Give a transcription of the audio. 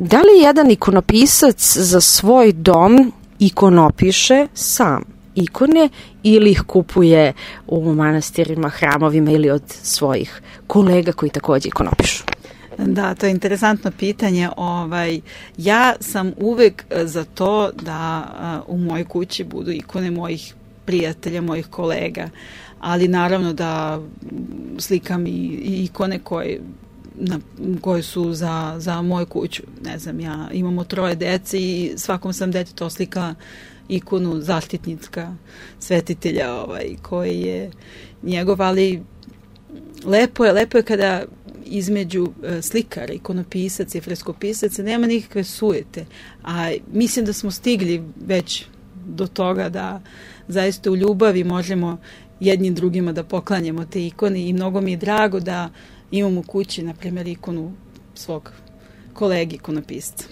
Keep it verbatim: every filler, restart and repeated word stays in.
Da li jedan ikonopisac za svoj dom ikonopiše sam ikone ili ih kupuje u manastirima, hramovima ili od svojih kolega koji takođe ikonopišu? Da, to je interesantno pitanje. Ovaj, ja sam uvek za to da uh, u mojoj kući budu ikone mojih prijatelja, mojih kolega, ali naravno da slikam i, i ikone koje, na, koje su za, za moju kuću. Ne znam, ja imamo troje dece i svakom sam detetu oslikala ikonu zaštitnika svetitelja ovaj, koji je njegov, ali lepo je, lepo je kada između slikara, ikonopisaca i freskopisaca nema nikakve sujete, a mislim da smo stigli već do toga da zaista u ljubavi možemo jednim drugima da poklanjamo te ikone i mnogo mi je drago da imam u kući, na primjer, ikonu svog kolegi ikonopisca.